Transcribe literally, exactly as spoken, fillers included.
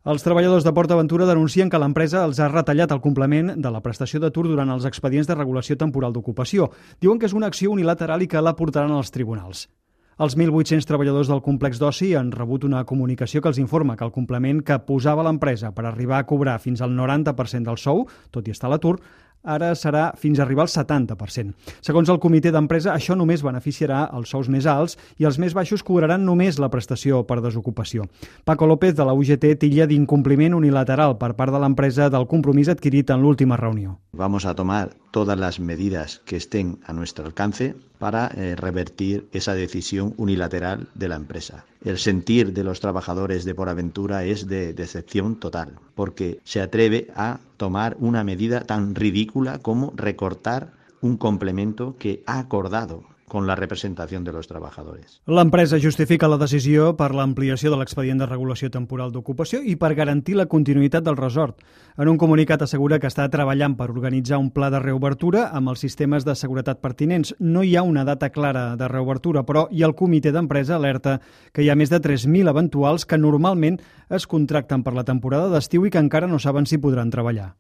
Els treballadors de PortAventura denuncien que l'empresa els ha retallat el complement de la prestació d'atur durant els expedients de regulació temporal d'ocupació. Diuen que és una acció unilateral i que la portaran als tribunals. Els mil vuit-cents treballadors del complex d'oci han rebut una comunicació que els informa que el complement que posava l'empresa per arribar a cobrar fins al noranta per cent del sou, tot i estar a l'atur, ara serà fins a arribar al setanta per cent. Segons el comitè d'empresa, això només beneficiarà els sous més alts i els més baixos cobraran només la prestació per desocupació. Paco López, de la U G T, titlla d'incompliment unilateral per part de l'empresa del compromís adquirit en l'última reunió. Vamos a tomar todas las medidas que estén a nuestro alcance para eh, revertir esa decisión unilateral de la empresa. El sentir de los trabajadores de PortAventura es de decepción total, porque se atreve a tomar una medida tan ridícula como recortar un complemento que ha acordado con la representación de los trabajadores. L'empresa justifica la decisió per l'ampliació de l'expedient de regulació temporal d'ocupació i per garantir la continuïtat del resort. En un comunicat assegura que està treballant per organitzar un pla de reobertura amb els sistemes de seguretat pertinents. No hi ha una data clara de reobertura, però i el comitè d'empresa alerta que hi ha més de tres mil eventuals que normalment es contracten per la temporada d'estiu i que encara no saben si podran treballar.